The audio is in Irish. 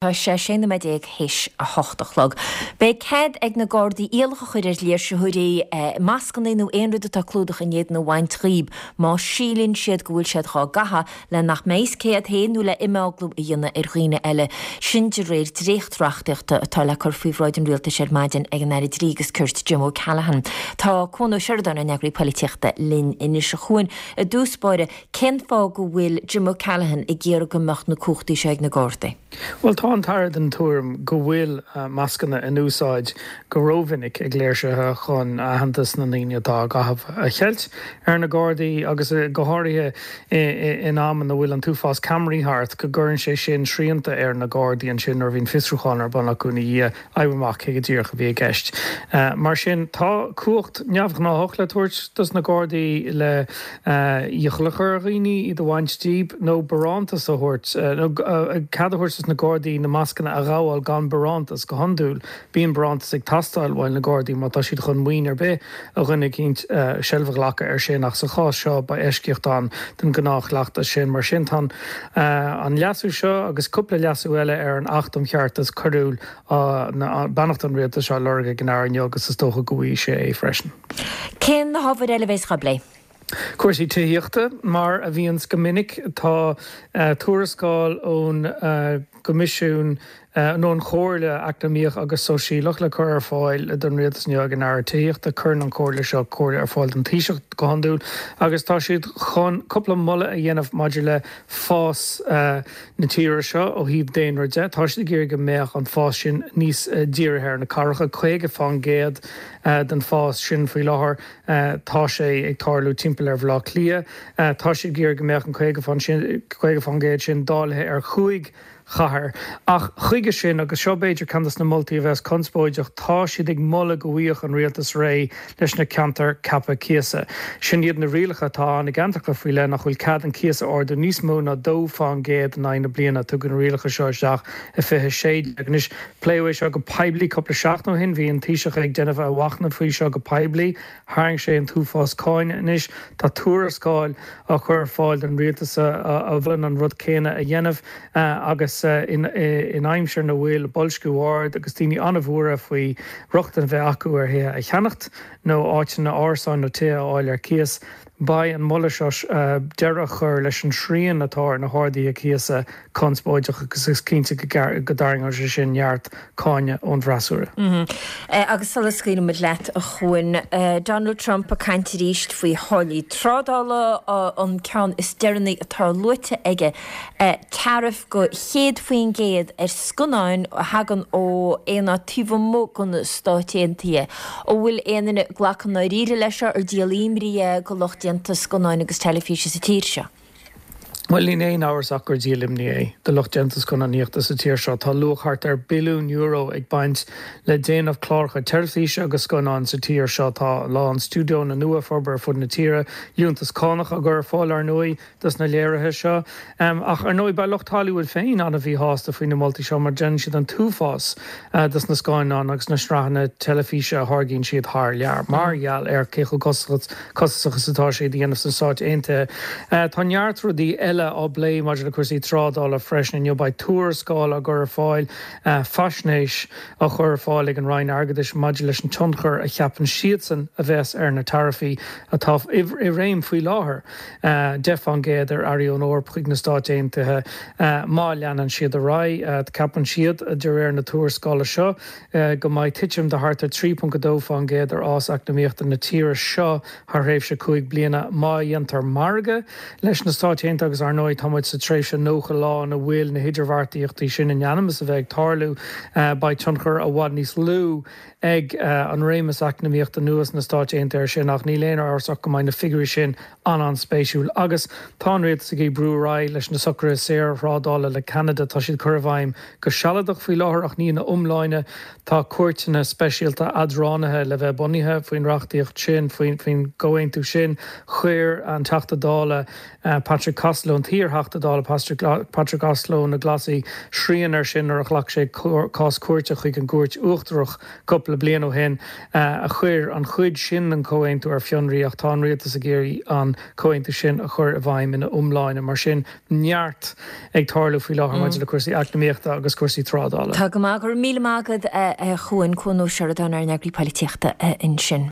Tá sé 16 nóiméad théis 8 a chlog. Beidh cead ag na Gardaí iallach a chur ar léirsitheoirí mascanna nó aon rud atá ag clúdach a n-éadan a bhaint dhíob má síleann siad go bhfuil siad dhá gcaitheamh le nach mbeidh fhios cé hiad féin nó le imeaglú a dhéanamh ar dhaoine eile. Sin de réir dréacht-reachtaíochta atá le cur faoi bhráid an Rialtais ar maidin ag an Aire Dlí agus Cirt Jim O'Callaghan. Tá Cuan Ó Seireadáin, ár n-eagraí polaitíochta, linn anois. A Chuain, i dtús báire, Cén fáth go bhfuil Jim O'Callaghan ag iarraidh go mbeadh na cumhachtaí seo ag na Gardaí? Bhuel, tá an tAire den tuairim go bhfuil mascanna in úsáid go rómhinic ag léirsithe chun aitheantas na ndaoine atá á gcaitheamh a cheilt ar na Gardaí agus go háirithe in am ina bhfuil an t-uafás ceamaraí thart, go gcuireann sé sin srianta ar na Gardaí ansin nuair a bhíonn fiosrúchán ar bun acu ina dhiaidh. oibriú amach cé go díreach a bhí i gceist. Mar sin, tá cumhacht neamhghnáthach le tabhairt dos na Gardaí le iachall a chur ar dhaoine iad a bhaint díob, nó barántas a thabhairt, nó cead a thabhairt dos na Gardaí na mascanna a ghabháil gan barántas. Go hiondúil, bíonn barántas ag teastáil uaidh na Gardaí má tá siad chun maoin ar bith ó dhuine eicínt seilbh a ghlacadh air sin, ach sa chás seo, beidh eisceacht ann don ghnáthchleachtas sin. Mar sin, tá an leasú seo agus cúpla leasú eile ar an Acht um Cheartas Coiriúil, beannacht an Rialtais á lorg ag an Aire inniu agus is dócha go bhfaighidh sé é freisin. Cé na hábhair eile a bheas á bplé? Cúrsaí tithíochta, mar a bhíonns go minic, tá tuarascáil ón gCoimisiún nó an Chomhairle Eacnamaíoch agus Sóisialach le cur ar fáil don Rialtas inniu ag an Aire Tithíochta. Cuireann an Chomhairle seo comhairle ar fáil don Taoiseach go hiondúil agus tá siad chun cúpla moladh a dhéanamh maidir le fás na tíre seo ó thaobh daonra de. Tá siad ag iarraidh go mbeadh an fás sin níos dírithe ar na cathracha. 50% den fás sin faoi láthair tá sé ag tarlú timpeall ar Bhaile Átha Cliath. Tá siad ag iarraidh go mbeadh an 50% sin dáilithe ar chúig chathair. Ach chuige sin, agus seo b'fhéidir ceann de na moltaí a bheas conspóideach, tá siad ag moladh go bhfaigheadh an rialtas réidh leis na ceantair ceaptha cíosa. Sin iad na rialacha atá ann i gceantracha faoi leith nach bhfuil cead an cíos a ardú níos mó ná 2% in aghaidh na bliana. Tugadh na rialacha seo isteach i 2016. Anois, pléadh é seo go poiblí cúpla seachtain ó shin. Bhí an Taoiseach ag déanamh a mhachnaimh faoi seo go poiblí. Tharraing sé an t-uafás cáinte. Anois tá tuarascáil á chur ar fáil don rialtas a mholann an rud céanna a dhéanamh agus in aimsir ina bhfuil boilsciú ard agus daoine an-bhuartha faoi rochtain a bheith acu ar thithe a cheannacht nó áiteanna, árasáin nó tithe a fháil ar cíos. Beidh an moladh seo deireadh a chur leis an srian atá ar na harduithe cíosa conspóideach agus is cinnte go dtarraingeoidh sé sin neart cáineadh ón bhfreasúra. Agus sula scaoilfimid leat, a Chuain, Donald Trump ag caint arís faoi tháillí trádála, an ceann is deireanaí atá luaite aige, taraif de 100% ar scannáin a thagann ó aon áit taobh amuigh de na Stáit Aontaithe. An bhfuil aon duine ag glacadh i ndáiríre leis seo, ar díol imní é do lucht déanta scannáin agus teilifíse sa tír seo? Bhuel, níl aon amhras ach gur díol imní é do lucht déanta scannánaíochta sa tír seo. Tá luach thart ar billiún euro ag baint le déanamh cláracha teilifíse agus scannán sa tír seo. Tá a lán stiúideonna nua ag forbairt ar fud na tíre, liúntas cánach á gcur ar fáil, ar ndóigh. dos na léirithe seo. Ach ar ndóigh beidh lucht Hollywood féin an-mhíshásta faoi na moltaí seo mar déanann siad an t-uafás dos na scannáin agus na sraitheanna teilifíse a tháirgíonn siad thar lear mar gheall ar cé chomh costasach is atá sé iad a dhéanamh sna Stáit Aontaithe. Tá neart rudaí eile á bplé maidir le cúrsaí trádála freisin inniu. Beidh tuarascáil á gcur ar fáil, faisnéis á chur ar fáil ag an Roinn Airgeadais maidir leis an tionchar a cheapann siadsan a bheas ar na taraifí atá i réim faoi láthair. 10% ar earraí ón Eoraip chuig na Stáit Aontaithe má leanann siad ar aghaidh. Ceapann siad, de réir na tuarascála seo, go mbeidh titim de thart ar 3.2% ar fhás eacnamaíochta na tíre seo thar thréimhse 5 bliana má dhéantar margadh leis na Stáit Aontaithe agus, ar ndóigh, tá muid sa tréimhse 90 lá ina bhfuil na hidirbheartaíochtaí sin in ainm is a bheith ag tarlú. Beidh tionchar i bhfad níos lú ag an réimeas eacnamaíochta nua sna Stáit Aontaithe air sin, ach níl aon amhras ach go mbeidh na figiúirí sin an-an-spéisiúil. Agus tá an rialtas ag iarraidh brú ar aghaidh leis na socruithe saorthrádála le Ceanada. Tá siad curtha i bhfeidhm go sealadach faoi láthair, ach ní ina iomláine. Tá cúirteanna speisialta eadránaithe le bheith bunaithe faoin reachtaíocht sin, faoin gcomhaontú sin. Chuir an Teachta Dála Patrick Costello. an t-iar-Theachta Dála Patrick Costello ó na Glasaigh srian air sin nuair a ghlac sé cás cúirte chuig an gCúirt Uachtarach cúpla bliain ó shin a chuir an chuid sin den chomhaontú ar fionraí ach tá an rialtas ag iarraidh an comhaontú sin a chur i bhfeidhm ina iomláine. Mar sin, neart ag tarlú faoi láthair maidir le cúrsaí eacnamaíochta agus cúrsaí trádála. Tá go maith. Go raibh míle maith agat, a Chuain. Cuan Ó Seireadáin, ár n-eagraí polaitíochta ansin.